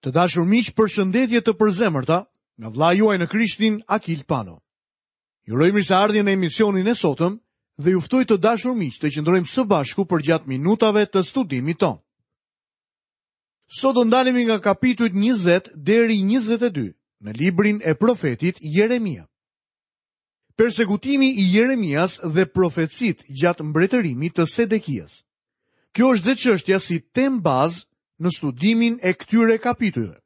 Të dashur miq, përshëndetje të përzemërta nga vëllai juaj në Krishtin Akil Pano. Ju uroj mirëseardhje në emisionin e sotëm dhe ju ftoj të dashur miq të qëndrojmë së bashku përgjatë minutave të studimit tonë. Sot do ndalemi nga kapitujt 20 deri 22 në librin e profetit Jeremia. Persekutimi i Jeremias dhe profecitë gjatë mbretërimit të Sedekias. Kjo është dhe çështja si temë bazë në studimin e këtyre kapitujve.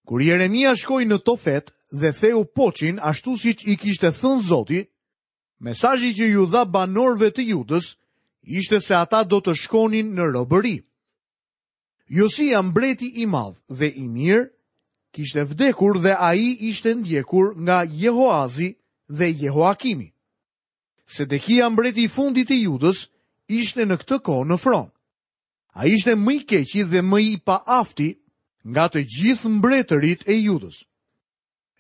Kur Jeremia shkoi në Tofet dhe theu poçin ashtu siç i kishte thënë Zoti, mesazhi që iu dha banorëve të Judës ishte se ata do të shkonin në robëri. Josia mbreti i madh dhe i mirë kishte vdekur dhe ai ishte ndjekur nga Jehoazi dhe Jehoakimi. Sedekia mbreti i fundit i Judës ishte në këtë kohë në fron. Ai ishte më i keqi dhe më i paafti nga të gjithë mbretërit e Judës.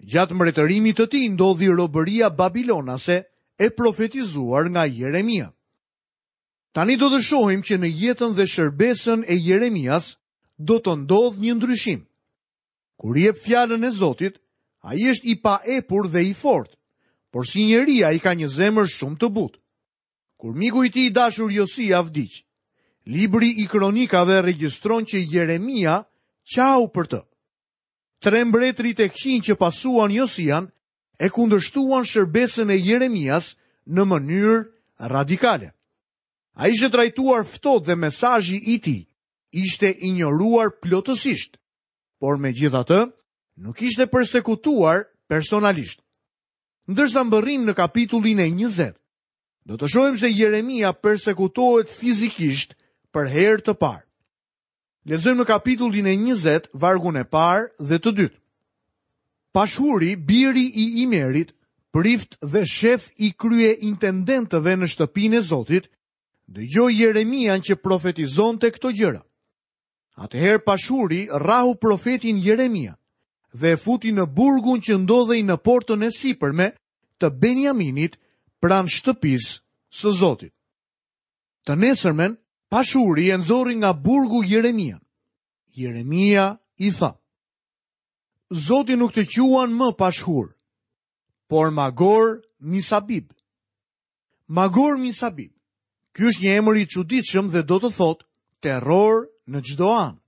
Gjatë mbretërimit të tij ndodhi robëria babilonase e profetizuar nga Jeremia. Tani do të shohim që në jetën dhe shërbesën e Jeremias do të ndodhë një ndryshim. Kur jep fjalën e Zotit, ai është i paepur dhe i fortë, por si njeri ai ka një zemër shumë të butë. Kur miku i tij i dashur Josia vdiq, libri i kronikave regjistron që Jeremia qau për të. Tre mbretërit e këqinj që pasuan Josian e kundërshtuan shërbesën e Jeremias në mënyrë radikale. Ai ishte trajtuar ftohtë dhe mesazhi i tij ishte injoruar plotësisht, por megjithatë nuk ishte persekutuar personalisht. Ndërsa mbërrijmë në kapitullin e 20, do të shohim se Jeremia persekutohet fizikisht për herë të parë. Lexojmë në kapitullin e 20, vargun e parë dhe të dytë. Pashuri, biri i Imerit, prift dhe shef i kryeintendenëve në shtëpinë e Zotit, dëgjoi Jeremian që profetizonte këto gjëra. Atëherë Pashuri rrahu profetin Jeremia dhe e futi në burgun që ndodhej në portën e sipërme të Benjaminit pranë shtëpisë së Zotit. Të nesërmen, Pashuri e nxori nga burgu Jeremian. Jeremia i tha: Zoti nuk të quan më Pashhur, por Magor Misabib. Magor Misabib. Ky është një emër i çuditshëm dhe do të thotë terror në çdo anë.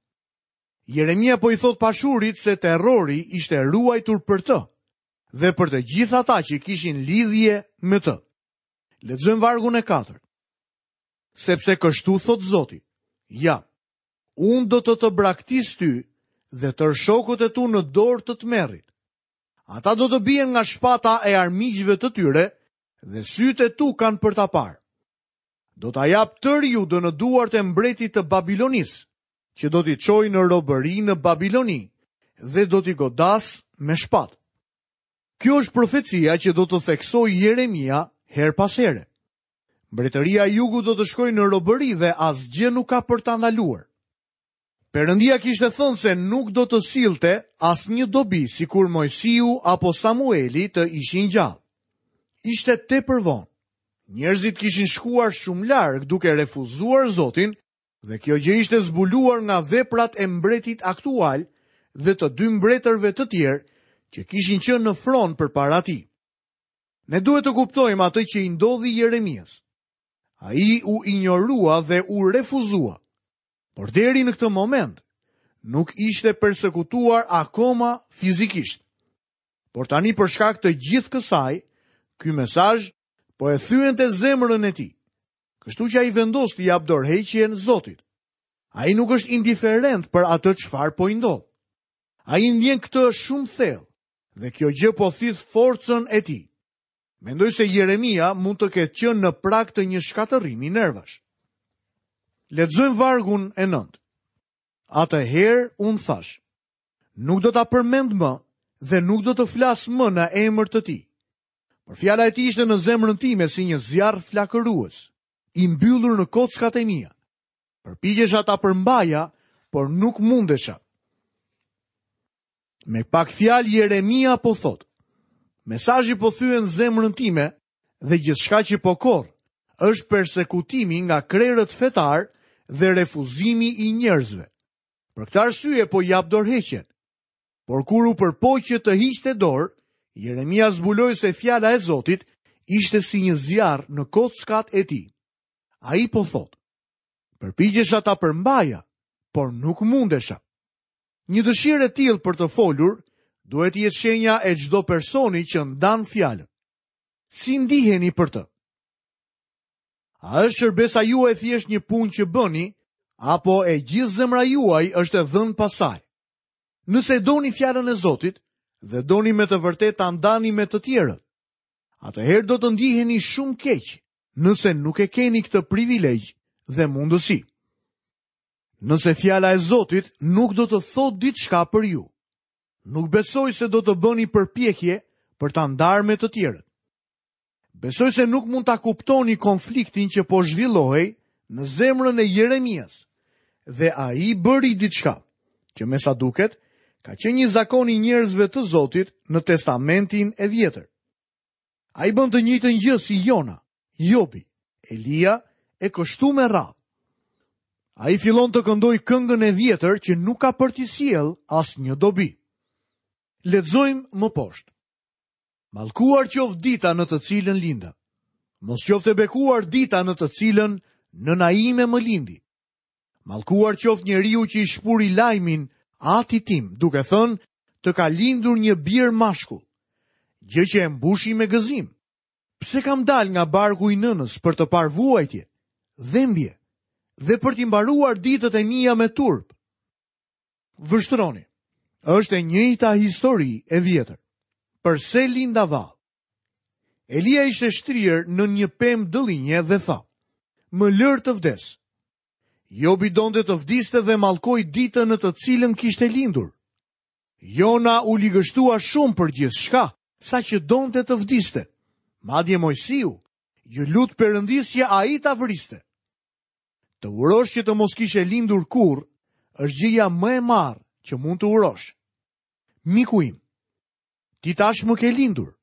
Jeremia po i thotë Pashurit se terrori ishte ruajtur për të dhe për të gjithë ata që kishin lidhje me të. Lexojmë vargun e katërt. Sepse kështu thotë Zoti, ja, unë do të të braktis ty dhe tërë shokët e tu në dorë të tmerrit. Ata do të bien nga shpata e armiqve të tyre dhe sytë e tu kanë për ta parë. Do ta jap tërë Judën në duart e mbretit të Babilonisë, që do t'i çojë në robëri në Babiloni dhe do t'i godasë me shpatë. Kjo është profecia që do të theksojë Jeremia herë pas here. Mbretëria e Jugut do të shkojë në robëri dhe asgjë nuk ka për ta ndaluar. Perëndia kishte thënë se nuk do të sillte asnjë dobi sikur Moisiu apo Samueli të ishin gjallë. Ishte tepër vonë. Njerëzit kishin shkuar shumë larg duke refuzuar Zotin dhe kjo gjë ishte zbuluar nga veprat e mbretit aktual dhe të dy mbretërve të tjerë që kishin qenë në fron përpara tij. Ne duhet të kuptojmë atë që i ndodhi Jeremias. Ai u injorua dhe u refuzua. Por deri në këtë moment nuk ishte persekutuar akoma fizikisht. Por tani për shkak të gjithë kësaj, ky mesazh po e thyente zemrën e tij. Kështu që ai vendos t'i japë dorëheqjen Zotit. Ai nuk është indiferent për atë çfarë po i ndodh. Ai ndjen këtë shumë thellë dhe kjo gjë po thith forcën e tij. Mendoj se Jeremia mund të ketë qenë në prag të një shkatërrimi nervash. Lexojmë vargun e 9. Atëherë unë thashë, nuk do ta përmend më dhe nuk do të flas më në emër të tij. Por fjala e tij ishte në zemrën time si një zjarr flakërues, i mbyllur në kockat e mia. Përpiqesha ta përmbaja, por nuk mundesha. Me pak fjalë Jeremia po thotë, mesazhi po thyen zemrën time dhe gjithçka që po korr është persekutimi nga krerët fetarë dhe refuzimi i njerëzve. Për këtë arsye po jap dorëheqjen. Por kur u përpoq që të hiqte dorë, Jeremia zbuloi se fjala e Zotit ishte si një zjarr në kockat e tij. Ai po thotë, përpiqesha ta përmbaja, por nuk mundesha. Një dëshirë e tillë për të folur duhet të jetë shenja e çdo personi që ndan fjalën. Si ndiheni për të? A është shërbesa juaj thjesht një punë që bëni, apo e gjithë zemra juaj është e dhënë pas saj? Nëse doni fjalën e Zotit dhe doni me të vërtetë ta ndani me të tjerët, atëherë do të ndiheni shumë keq nëse nuk e keni këtë privilegj dhe mundësi. Nëse fjala e Zotit nuk do të thotë diçka për ju, nuk besoj se do të bëni përpjekje për ta ndarë me të tjerët. Besoj se nuk mund ta kuptoni konfliktin që po zhvillohej në zemrën e Jeremias. Dhe ai bëri diçka, që me sa duket, ka qenë një zakon i njerëzve të Zotit në Testamentin e Vjetër. Ai bën të njëjtën gjë si Jona, Jobi, Elia e kështu me radhë. Ai fillon të këndojë këngën e vjetër që nuk ka për t'i sjellë asnjë dobi. Lexojmë më poshtë. Mallkuar qoftë dita në të cilën linda. Mos qoftë e bekuar dita në të cilën nëna ime më lindi. Mallkuar qoftë njeriu që i shpuri lajmin atit tim, duke thënë të ka lindur një bir mashkull, gjë që e mbushi me gëzim. Pse kam dalë nga barku i nënës për të parë vuajtje, dhembje dhe për t'i mbaruar ditët e mia me turp? Vështroni. Është e njëjta histori e vjetër. Përse linda vallë? Elia ishte shtrirë nën një pemë dëllinje dhe tha: Më lër të vdes. Jobi donte të vdiste dhe mallkoi ditën në të cilën kishte lindur. Jona u ligështua shumë për gjithçka, saqë donte të vdiste. Madje Moisiu iu lut Perëndisë që ai ta vriste. Të urosh që të mos kishe lindur kurrë, është gjëja më e marrë që mund të urosh. Miku im, ti tashmë ke lindur.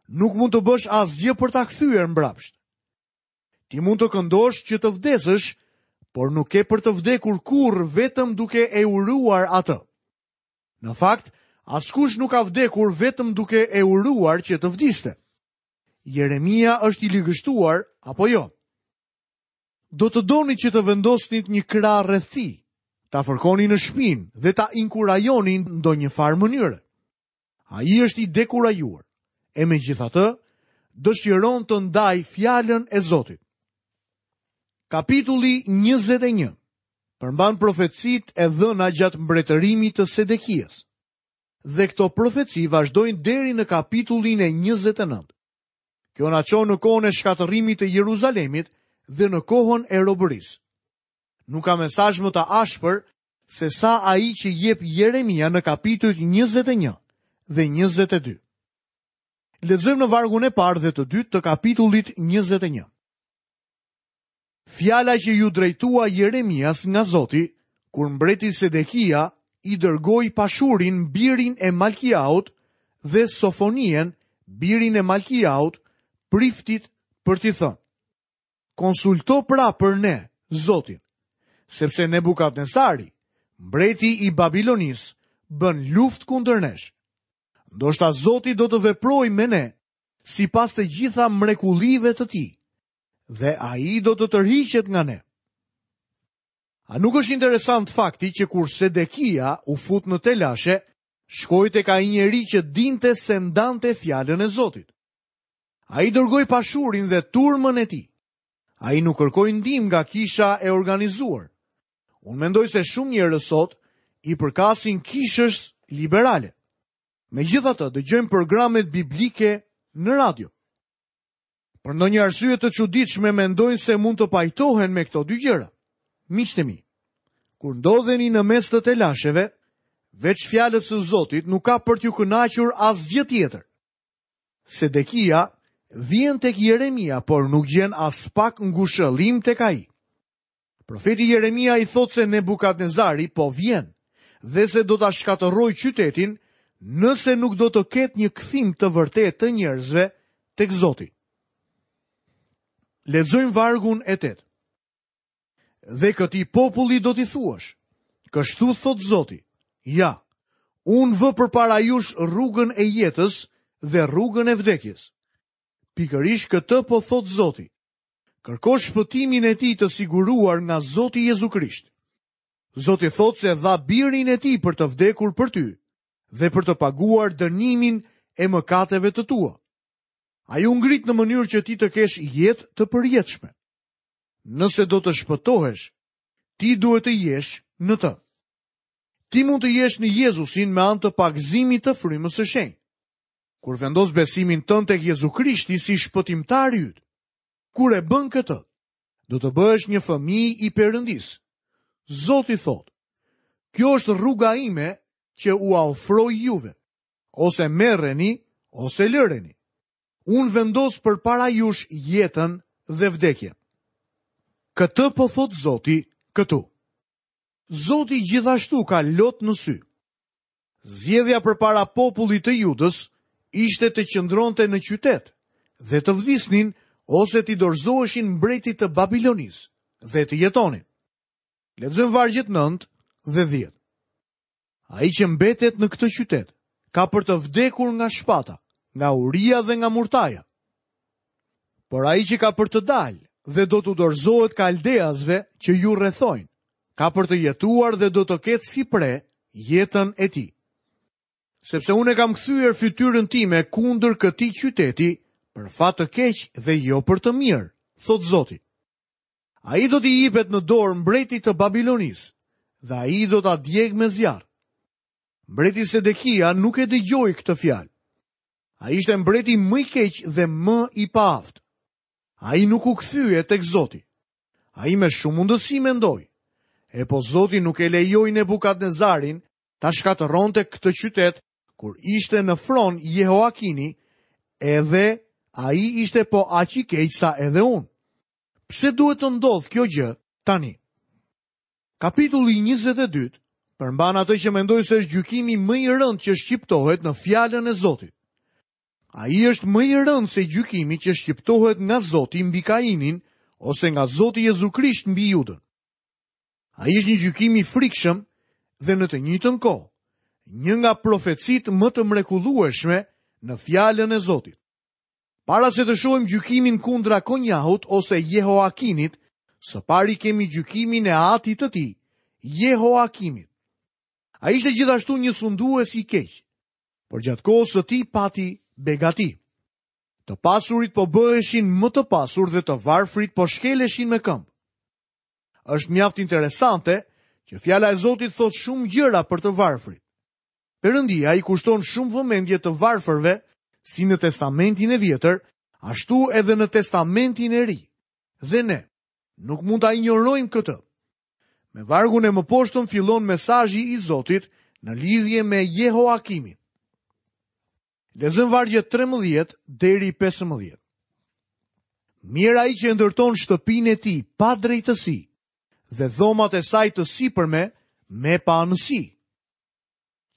Nuk mund të bësh asgjë për ta kthyer mbrapsht. Ti mund të këndosh që të vdesësh, por nuk ke për të vdekur kurrë vetëm duke e uruar atë. Në fakt, askush nuk ka vdekur vetëm duke e uruar që të vdiste. Jeremia është i ligështuar apo jo? Do të donit që të vendosnit një krah rreth tij, ta fërkoni në shpinë dhe ta inkurajoni në ndonjë farë mënyre. Ai është i dekurajuar, e megjithatë, dëshiron të ndajë fjalën e Zotit. Kapitulli 21 përmban profecitë e dhëna gjatë mbretërimit të Sedekias. Dhe këto profeci vazhdojnë deri në kapitullin e 29. Kjo na çon në kohën e shkatërrimit të Jeruzalemit dhe në kohën e robërisë. Nuk ka mesazh më të ashpër se sa ai që jep Jeremia në kapitujt 21 dhe 22. Lexojmë në vargun e parë dhe të dytë të kapitullit 21. Fjala që iu drejtua Jeremias nga Zoti, kur mbreti Sedekia i dërgoi Pashurin, birin e Malkiaut, dhe Sofonien, birin e Malkiaut, priftit për t'i thënë. Konsulto pra për ne, Zotin, sepse Nebukadnesari, mbreti i Babilonisë, bën luftë kundër nesh. Ndoshta Zoti do të veprojë me ne, sipas të gjitha mrekullive të tij, dhe ai do të tërhiqet nga ne. A nuk është interesant fakti që kur Sedekia u fut në telashe, shkoi tek ai njeri që dinte se ndante fjalën e Zotit. Ai dërgoi Pashurin dhe turmën e tij. Ai nuk kërkoi ndihmë nga kisha e organizuar. Unë mendoj se shumë njerëz sot i përkasin kishës liberale. Megjithatë, dëgjojnë programet biblike në radio. Për ndonjë arsye të çuditshme mendojnë se mund të pajtohen me këto dy gjëra. Miqtë e mi, kur ndodheni në mes të telasheve, veç fjalës së Zotit nuk ka për t'ju kënaqur asgjë tjetër. Sedekia vjen tek Jeremia, por nuk gjen aspak ngushëllim tek ai. Profeti Jeremia i thotë se Nebukadnezari po vjen dhe se do ta shkatërrojë qytetin nëse nuk do të ketë një kthim të vërtetë të njerëzve tek Zoti. Lexojmë vargun e 8. Dhe këtij populli do t'i thuash. Kështu thotë Zoti, ja, unë vë përpara jush rrugën e jetës dhe rrugën e vdekjes. Pikërisht këtë po thotë Zoti. Kërko shpëtimin e tij të siguruar nga Zoti Jezu Krisht. Zoti thotë se dha birin e tij për të vdekur për ty dhe për të paguar dënimin e mëkateve të tua. Ai u ngrit në mënyrë që ti të kesh jetë të përjetshme. Nëse do të shpëtohesh, ti duhet të jesh në të. Ti mund të jesh në Jezusin me anë të pagëzimit të frymës së shenjtë. Kur vendos besimin tënd tek Jezu Krishti si shpëtimtari yt. Kur e bën këtë, do të bëhesh një fëmijë i Perëndisë. Zoti thotë, kjo është rruga ime që ua ofroj juve. Ose merreni, ose lëreni. Unë vendos përpara jush jetën dhe vdekjen. Këtë po thotë Zoti këtu. Zoti gjithashtu ka lot në sy. Zgjedhja përpara popullit të Judës ishte të qëndronte në qytet dhe të vdisnin ose t'i dorëzoheshin mbretit të Babilonisë dhe të jetonin. Lexojmë vargjet 9 dhe 10. Ai që mbetet në këtë qytet, ka për të vdekur nga shpata, nga uria dhe nga murtaja. Por ai që ka për të dalë dhe do t'u dorëzohet kaldeasve që ju rrethojnë, ka për të jetuar dhe do të ketë si pre jetën e tij. Sepse unë e kam kthyer fytyrën time kundër këtij qyteti për fat të keq dhe jo për të mirë, thotë Zoti. Ai do t'i jipet në dorë mbretit të Babilonisë dhe ai do ta djegë me zjarr. Mbreti Sedekia nuk e dëgjoi këtë fjalë. Ai ishte mbreti më i keq dhe më i paaftë. Ai nuk u kthye tek Zoti. Ai me shumë mundësi mendoi, e po Zoti nuk e lejoi Nebukadnezarin ta shkatërronte këtë qytet kur ishte në fron Jehoakini, edhe ai ishte po aq i keq sa edhe unë. Pse duhet të ndodhë kjo gjë tani? Kapitulli 22 përmban atë që mendoj se është gjykimi më i rëndë që shqiptohet në fjalën e Zotit. Ai është më i rëndë se gjykimi që shqiptohet nga Zoti mbi Kainin ose nga Zoti Jezu Krisht mbi Judën. Ai është një gjykim i frikshëm dhe në të njëjtën kohë, një nga profecitë më të mrekullueshme në fjalën e Zotit. Para se të shohim gjykimin kundra Konjahut ose Jehoakinit, së pari kemi gjykimin e atit të tij, Jehoakimit. Ai ishte gjithashtu një sundues i keq, por gjatë kohës së tij pati begati. Të pasurit po bëheshin më të pasur dhe të varfrit po shkeleshin me këmbë. Është mjaft interesante që fjala e Zotit thotë shumë gjëra për të varfrit. Perëndia i kushton shumë vëmendje të varfërve, si në Testamentin e Vjetër, ashtu edhe në Testamentin e Ri. Dhe ne nuk mund ta injorojmë këtë. Me vargun e mëposhtëm fillon mesazhi i Zotit në lidhje me Jehoakimin. Lexojmë vargjet 13 deri 15. Mjerë ai që e ndërton shtëpinë e tij pa drejtësi dhe dhomat e saj të sipërme me paanësi.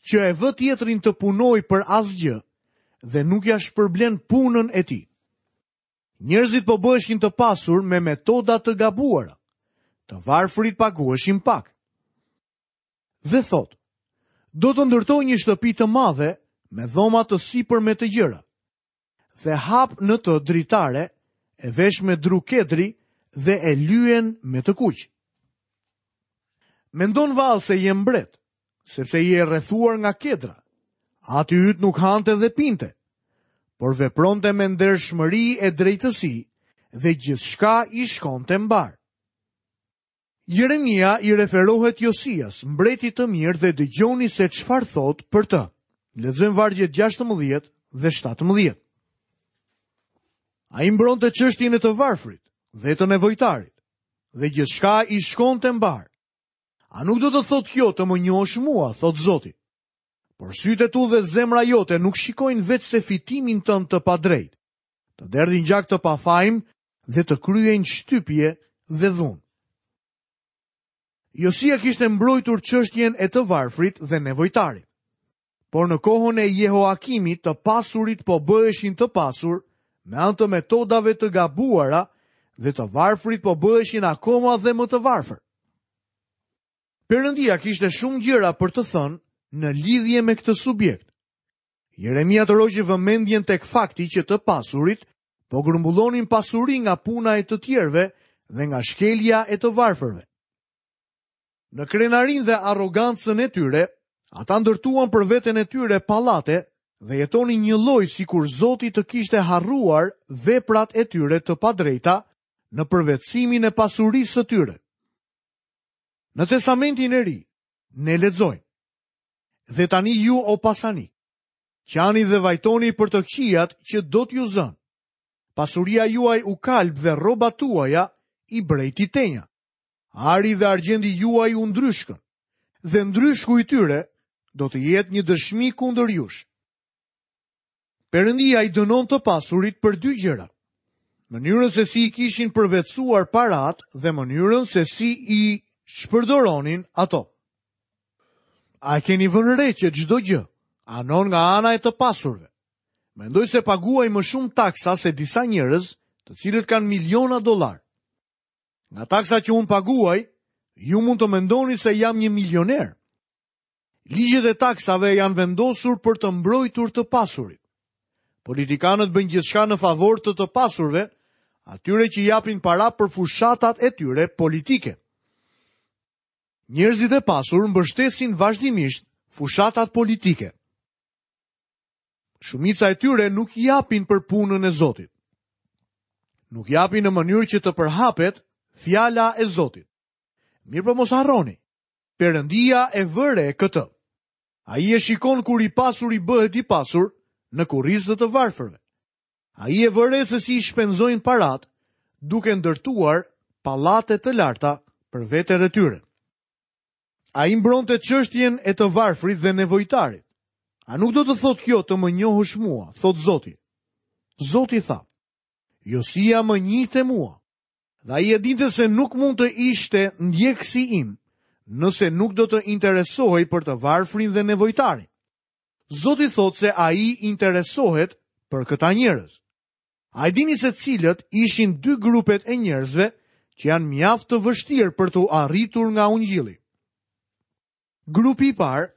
Që e vë tjetrin të punojë për asgjë dhe nuk ia shpërblen punën e tij. Njerëzit po bëheshin të pasur me metoda të gabuara. Të varfrit paguheshin pak. Dhe thotë, do të ndërtoj një shtëpi të madhe me dhoma të sipërme të gjera. Dhe hap në të dritare, e vesh me dru kedri dhe e lyen me të kuq. Mendon vallë se je mbret, sepse je rrethuar nga kedra. Ati yt nuk hante dhe pinte, por vepronte me ndershmëri e drejtësi dhe gjithçka i shkonte mbarë. Jeremia i referohet Josias, mbretit të mirë dhe dëgjoni se çfarë thotë për të. Lexojmë vargjet 16 dhe 17. Ai mbronte çështjen e të varfrit dhe të nevojtarit dhe gjithçka i shkonte mbarë. A nuk do të thotë kjo të më njohësh mua, thotë Zoti. Por sytë e tu dhe zemra jote nuk shikojnë veçse fitimin tënd të padrejtë. Të derdhin gjak të pafajmë dhe të kryejnë shtypje dhe dhunë. Josia kishte mbrojtur çështjen e të varfrit dhe nevojtarit. Por në kohën e Jehoakimit të pasurit po bëheshin të pasur me anë të metodave të gabuara dhe të varfrit po bëheshin akoma dhe më të varfër. Perëndia kishte shumë gjëra për të thënë në lidhje me këtë subjekt. Jeremia tërhoqi vëmendjen tek fakti që të pasurit po grumbullonin pasuri nga puna e të tjerëve dhe nga shkelja e të varfërve. Në krenarinë dhe arrogancën e tyre, ata ndërtuan për veten e tyre pallate dhe jetonin njëlloj sikur Zoti të kishte harruar veprat e tyre të padrejta në përvetësimin e pasurisë së tyre. Në Testamentin e Ri, ne lexojmë. Dhe tani ju o pasanikë, qani dhe vajtoni për të këqijat që do t'ju zënë. Pasuria juaj u kalb dhe rrobat tuaja i brejti tenja. Ari dhe argjendi juaj u ndryshkën, dhe ndryshku i tyre do të jetë një dëshmi kundër jush. Perëndia i dënon të pasurit për dy gjëra. Mënyrën se si i kishin përvetësuar paratë dhe mënyrën se si i shpërdoronin ato. A e keni vënë re që çdo gjë anon nga ana e të pasurve? Mendoj se paguaj më shumë taksa se disa njerëz, të cilët kanë miliona dollarë. Nga taksa që unë paguaj, ju mund të mendoni se jam një milioner. Ligjet e taksave janë vendosur për të mbrojtur të pasurit. Politikanët bëjnë gjithçka në favor të të pasurve, atyre që japin para për fushatat e tyre politike. Njerëzit e pasur mbështesin vazhdimisht fushatat politike. Shumica e tyre nuk japin për punën e Zotit. Nuk japin në mënyrë që të përhapet fjala e Zotit. Mirëpo mos harroni, Perëndia e vë re këtë. Ai e shikon kur i pasuri bëhet i pasur në kurriz të të varfërve. Ai e vë re se si i shpenzojnë paratë duke ndërtuar pallate të larta për veten e tyre. Ai mbronte çështjen e të varfrit dhe nevojtarit. A nuk do të thotë kjo të më njohësh mua, thotë Zoti. Zoti tha, Josia më njihte mua, dhe ai e dinte se nuk mund të ishte ndjekësi im, nëse nuk do të interesohej për të varfrin dhe nevojtarin. Zoti thotë se ai interesohet për këta njerëz. A e dini se cilët ishin dy grupet e njerëzve që janë mjaft të vështirë për t'u arritur nga ungjilli? Grupi i parë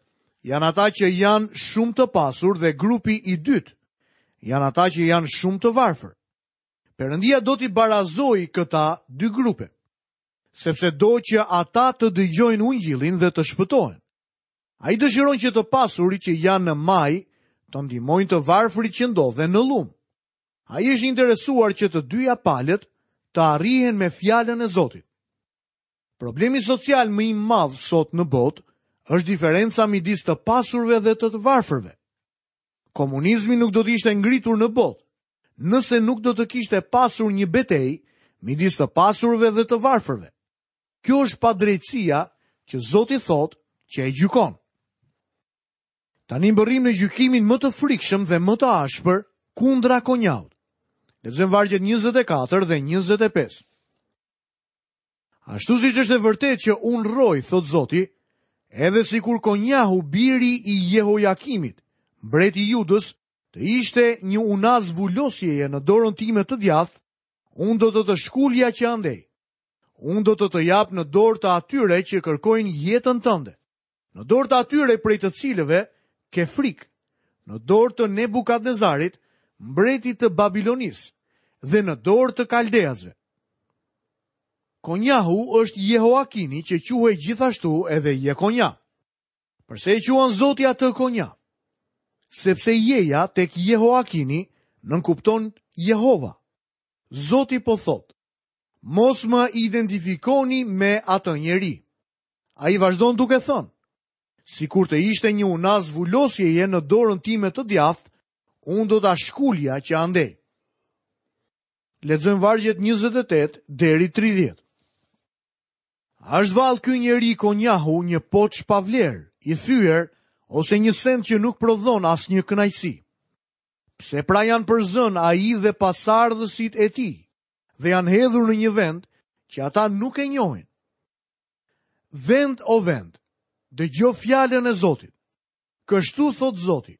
janë ata që janë shumë të pasur dhe grupi i dytë janë ata që janë shumë të varfër. Perëndia do t'i barazojë këta dy grupe, sepse do që ata të dëgjojnë ungjillin dhe të shpëtohen. Ai dëshiron që të pasurit që janë në majë të ndihmojnë të varfrit që ndodhen në llum. Ai është interesuar që të dyja palët të arrihen me fjalën e Zotit. Problemi social më i madh sot në botë është diferenca midis të pasurve dhe të të varfërve. Komunizmi nuk do të ishte ngritur në botë, nëse nuk do të kishte pasur një betejë midis të pasurve dhe të varfërve. Kjo është padrejtësia që Zoti thotë që e gjykon. Tani mbërrijmë në gjykimin më të frikshëm dhe më të ashpër kundra Konjahut. Lexojmë vargjet 24 dhe 25. Ashtu siç është e vërtetë që unë rroj, thotë Zoti, edhe sikur Konjahu biri i Jehojakimit, mbreti i Judës, të ishte një unazë vulosjeje në dorën time të djathtë, unë do të të shkulja që andej. Unë do të të jap në dorë të atyre që kërkojnë jetën tënde, në dorë të atyre prej të cilëve ke frikë, në dorë të Nebukadnezarit, mbretit të Babilonisë, dhe në dorë të kaldeasve. Konjahu është Jehoakini që quhej gjithashtu edhe Jekonja. Përse e quan Zoti atë Konja? Sepse Jeja tek Jehoakini nënkupton Jehova. Zoti po thotë, Mos më identifikoni me atë njeri. Ai vazhdon duke thënë, sikur të ishte një unazë vulosjeje në dorën time të djathtë, unë do ta shkulja që andej. Lexojmë vargjet 28 deri 30. A është vallë ky njeri Konjahu një poç pa vlerë, i thyer, ose një send që nuk prodhon asnjë kënaqësi? Pse pra janë përzënë ai dhe pasardhësit e tij dhe janë hedhur në një vend që ata nuk e njohin? Vend o vend, dëgjo fjalën e Zotit. Kështu thotë Zoti.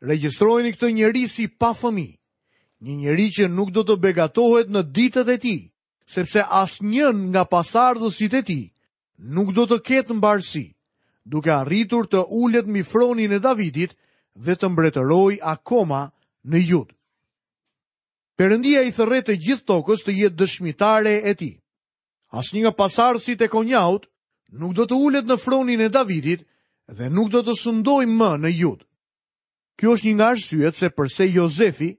Regjistrojeni këtë njeri si pa fëmijë, një njeri që nuk do të begatohet në ditët e tij, sepse asnjë nga pasardhësit e tij. nuk do të ketë mbarësi, duke arritur të ulet mbi fronin e Davidit dhe të mbretërojë akoma në Judë. Perëndia i thërret të gjithë tokës të jetë dëshmitare e tij. Asnjë nga pasardhësit e Konjahut nuk do të ulet në fronin e Davidit dhe nuk do të sundojë më në Judë. Kjo është një nga arsyet se përse Jozefi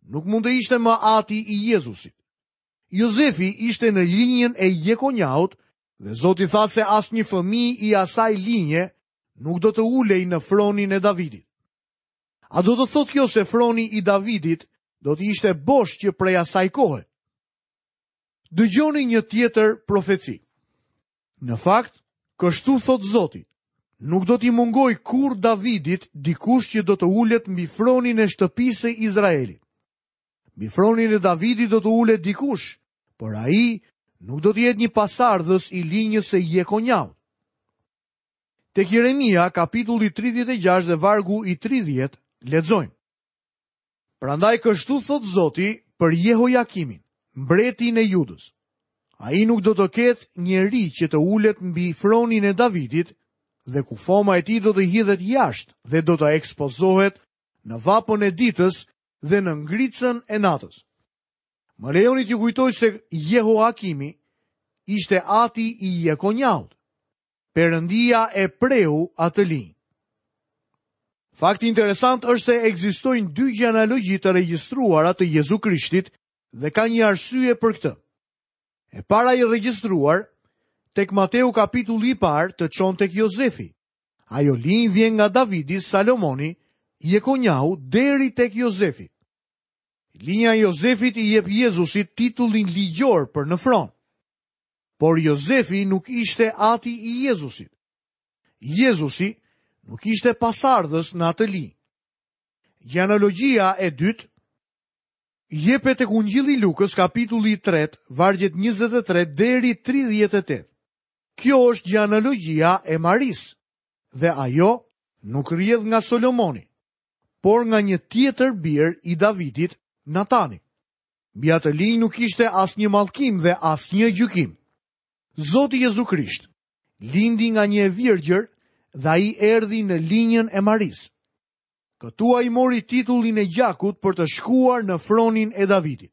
nuk mund të ishte më ati i Jezusit. Jozefi ishte në linjën e Jekonjahut dhe Zoti tha se asnjë fëmijë i asaj linje nuk do të ulej në fronin e Davidit. A do të thotë kjo se froni i Davidit do të ishte bosh që prej asaj kohe? Dëgjoni një tjetër profeci. Në fakt, kështu thotë Zoti, nuk do t'i mungojë kurrë Davidit dikush që do të ulet mbi fronin e shtëpisë së Izraelit. Mbi fronin e Davidit do të ulet dikush, por ai nuk do të jetë një pasardhës i linjës së Jekonjahut. Tek Jeremia, kapitulli 36 dhe vargu i 30, lexojmë. Prandaj kështu thotë Zoti për Jehojakimin, mbretin e Judës. Ai nuk do të ketë njeri që të ulet mbi fronin e Davidit dhe kufoma e tij do të hidhet jashtë dhe do të ekspozohet në vapën e ditës dhe në ngricën e natës. Më lejoni t'ju kujtoj se Jehoakimi ishte ati i Jekonjahut. Perëndia e preu atë linjë. Fakti interesant është se ekzistojnë dy gjenealogji të regjistruara të Jezu Krishtit dhe ka një arsye për këtë. E para e regjistruar tek Mateu kapitulli i parë të çon tek Jozefi. Ajo linjë vjen nga Davidi, Salomoni, Jekonjahu deri tek Jozefi. Linja e Jozefit i jep Jezusit titullin ligjor për në fron. Por Jozefi nuk ishte ati i Jezusit. Jezusi nuk ishte pasardhës në atë linjë. Gjenealogjia e dytë jepet tek Ungjilli i Lukës kapitulli i 3, vargjet 23 deri 38. Kjo është gjenealogjia e Marisë dhe ajo nuk rrjedh nga Solomoni, por nga një tjetër bir i Davidit, Natani. Mbi atë linjë nuk ishte asnjë mallkim dhe asnjë gjykim. Zoti Jezu Krisht lindi nga një e virgjër dhe ai erdhi në linjën e Marisë. Këtu ai mori titullin e gjakut për të shkuar në fronin e Davidit.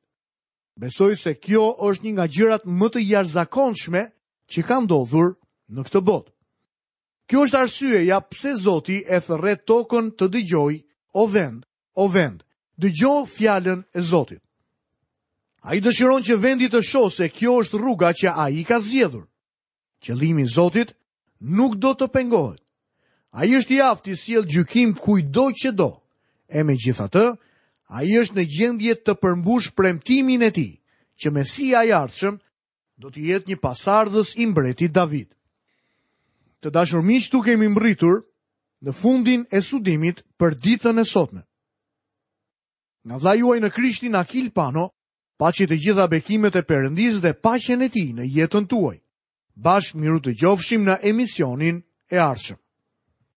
Besoj se kjo është një nga gjërat më të jashtëzakonshme që ka ndodhur në këtë botë. Kjo është arsyeja pse Zoti e thërret tokën të dëgjojë, o vend, o vend, dëgjo fjalën e Zotit. Ai dëshiron që vendi të shohë se kjo është rruga që ai ka zgjedhur. Qëllimi i Zotit nuk do të pengohet. Ai është i aftë t'i sjellë gjykim kujtdo që do. E megjithatë, ai është në gjendje të përmbushë premtimin e tij, që Mesia i ardhshëm do të jetë një pasardhës i mbretit David. Të dashur miq, këtu kemi mbërritur në fundin e studimit për ditën e sotme. Nga vëllai juaj në Krishtin Akil Pano, Paçi të gjitha bekimet e Perëndisë dhe paqen e tij në jetën tuaj. Bashkë mirudëgjofshim në emisionin e ardhshëm.